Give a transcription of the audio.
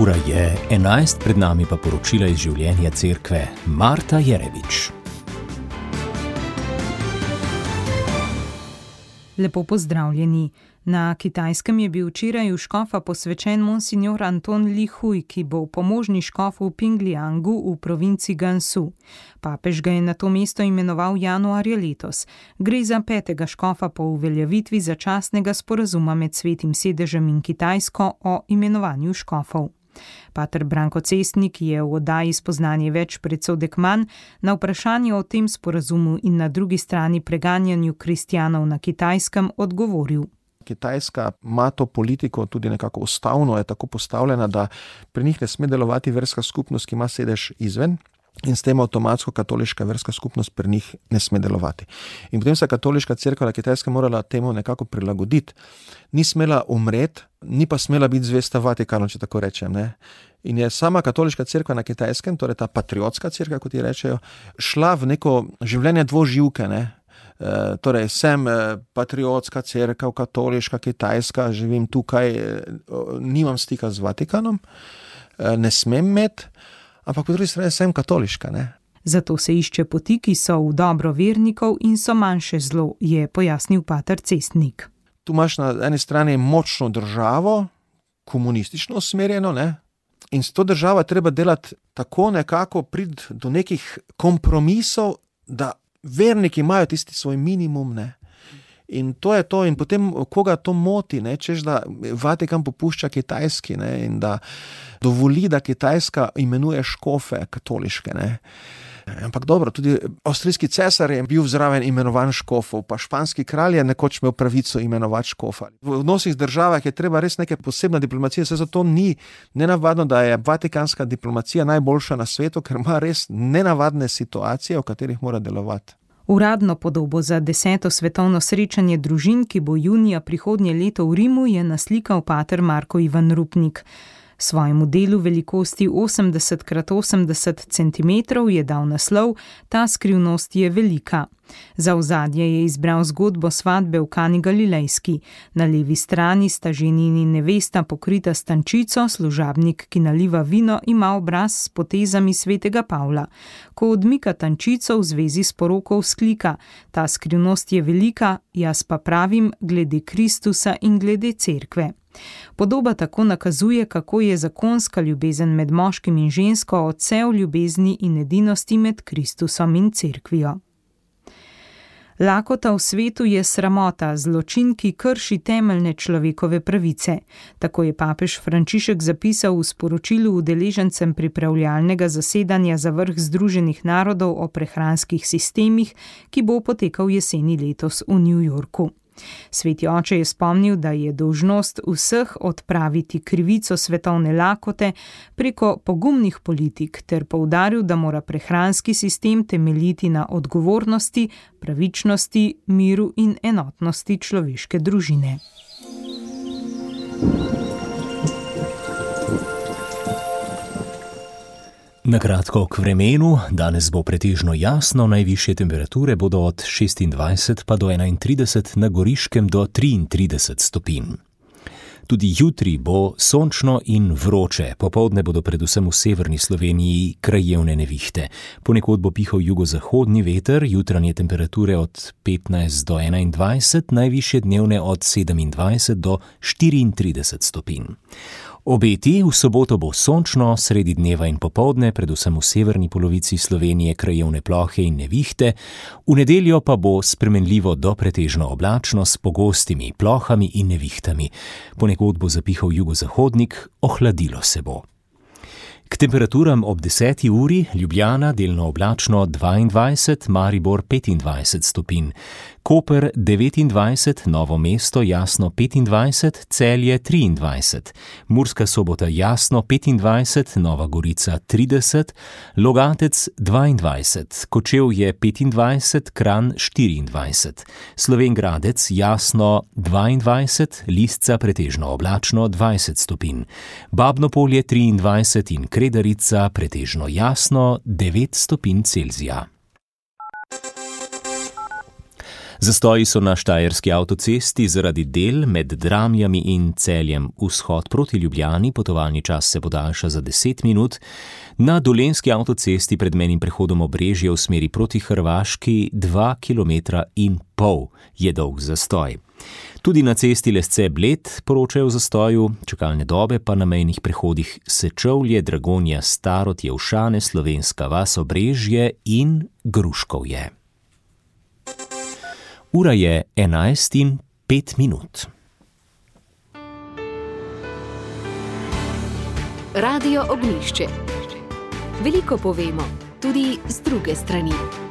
Ura je 11, pred nami pa poročila iz življenja cerkve. Marta Jerevič. Lepo pozdravljeni. Na Kitajskem je bil včeraj v škofa posvečen monsignor Anton Li Hui, ki bo pomožni škof v Pingliangu v provinci Gansu. Papež ga je na to mesto imenoval januarja letos. Gre za 5. škofa po uveljavitvi začasnega sporazuma med Svetim sedežem in Kitajsko o imenovanju škofov. Pater Branko Cestnik je v oddaji Spoznanje več predsodek dekman na vprašanje o tem sporazumu in na drugi strani preganjanju kristjanov na Kitajskem odgovoril. Kitajska ima to politiko tudi nekako ustavno, je tako postavljena, da pri njih ne sme delovati verska skupnost, ki ima sedež izven, in s tem avtomatsko katoliška verska skupnost pri njih ne sme delovati. In potem se katoliška cerkev na Kitajskem morala temu nekako prilagoditi. Ni smela umreti, ni pa smela biti zvesta Vatikanu, če tako rečem, ne. In je sama katoliška cerkev na Kitajskem, torej ta patriotska cerkev, kot ji rečejo, šla v neko življenje dvoživke, ne. Torej, sem patriotska cerkev, katoliška, kitajska, živim tukaj, nimam stika z Vatikanom, ne smem imeti, ampak po drugi strani sem katoliška, ne. Zato se išče poti, ki so v dobro vernikov in so manjše zlo, je pojasnil pater Cestnik. Tu imaš na eni strani močno državo, komunistično usmerjeno, ne, in s to državo treba delati tako nekako, priti do nekih kompromisov, da verniki imajo tisti svoj minimum, ne. In to je to, in potem koga to moti, ne, češ da Vatikan popušča Kitajski, ne, in da dovoli, da Kitajska imenuje škofe katoliške, ne. Ampak dobro, tudi avstrijski cesar je bil zraven imenovan škofov, pa španski kralj je nekoč imel pravico imenovati škofa. V odnosih z državah je treba res neka posebna diplomacija, se zato ni nenavadno, da je vatikanska diplomacija najboljša na svetu, ker ima res nenavadne situacije, v katerih mora delovati. Uradno podobo za 10. svetovno srečanje družin, ki bo junija prihodnje leto v Rimu, je naslikal pater Marko Ivan Rupnik. Svojemu delu velikosti 80x80 cm je dal naslov Ta skrivnost je velika. Za ozadje je izbral zgodbo svatbe v Kani Galilejski. Na levi strani sta ženin in nevesta pokrita s tančico, služabnik, ki naliva vino, ima obraz s potezami svetega Pavla. Ko odmika tančico v zvezi s poroko vzklika: Ta skrivnost je velika, jaz pa pravim glede Kristusa in glede cerkve. Podoba tako nakazuje, kako je zakonska ljubezen med moškim in žensko odsev ljubezni in edinosti med Kristusom in cerkvijo. Lakota v svetu je sramota, zločin, ki krši temeljne človekove pravice. Tako je papež Frančišek zapisal v sporočilu udeležencem pripravljalnega zasedanja za vrh Združenih narodov o prehranskih sistemih, ki bo potekal jeseni letos v New Yorku. Sveti oče je spomnil, da je dolžnost vseh odpraviti krivico svetovne lakote preko pogumnih politik ter poudaril, da mora prehranski sistem temeljiti na odgovornosti, pravičnosti, miru in enotnosti človeške družine. Na kratko k vremenu, danes bo pretežno jasno, najvišje temperature bodo od 26 pa do 31, na Goriškem do 33 stopinj. Tudi jutri bo sončno in vroče, popoldne bodo predvsem v severni Sloveniji krajevne nevihte. Ponekod bo pihal jugozahodni veter, jutranje temperature od 15 do 21, najvišje dnevne od 27 do 34 stopinj. Obeti: v soboto bo sončno, sredi dneva in popoldne, predvsem v severni polovici Slovenije krajevne plohe in nevihte, v nedeljo pa bo spremenljivo do pretežno oblačno s pogostimi plohami in nevihtami. Ponekod bo zapihal jugozahodnik, ohladilo se bo. K temperaturam ob 10. uri: Ljubljana delno oblačno 22, Maribor 25 stopinj, Koper 29, Novo mesto jasno 25, Celje 23, Murska Sobota jasno 25, Nova Gorica 30, Logatec 22, Kočevje 25, Kranj 24, Slovenj Gradec jasno 22, Lisca pretežno oblačno 20 stopinj, Babno Polje 23 in Kredarica pretežno jasno 9 stopinj Celzija. Zastoji so na Štajerski avtocesti zaradi del med Dramljami in Celjem. Vzhod proti Ljubljani, potovalni čas se podaljša za 10 minut. Na Dolenjski avtocesti pred mejnim prehodom Obrežje v smeri proti Hrvaški 2,5 kilometra je dolg zastoj. Tudi na cesti Lesce-Bled poročajo o zastoju, čakalne dobe pa na mejnih prehodih Sečovlje, Dragonja, Starod, Jelšane, Slovenska vas, Obrežje in Gruškovje. Ura je 11:05. Radio Ognjišče. Veliko povemo, tudi z druge strani.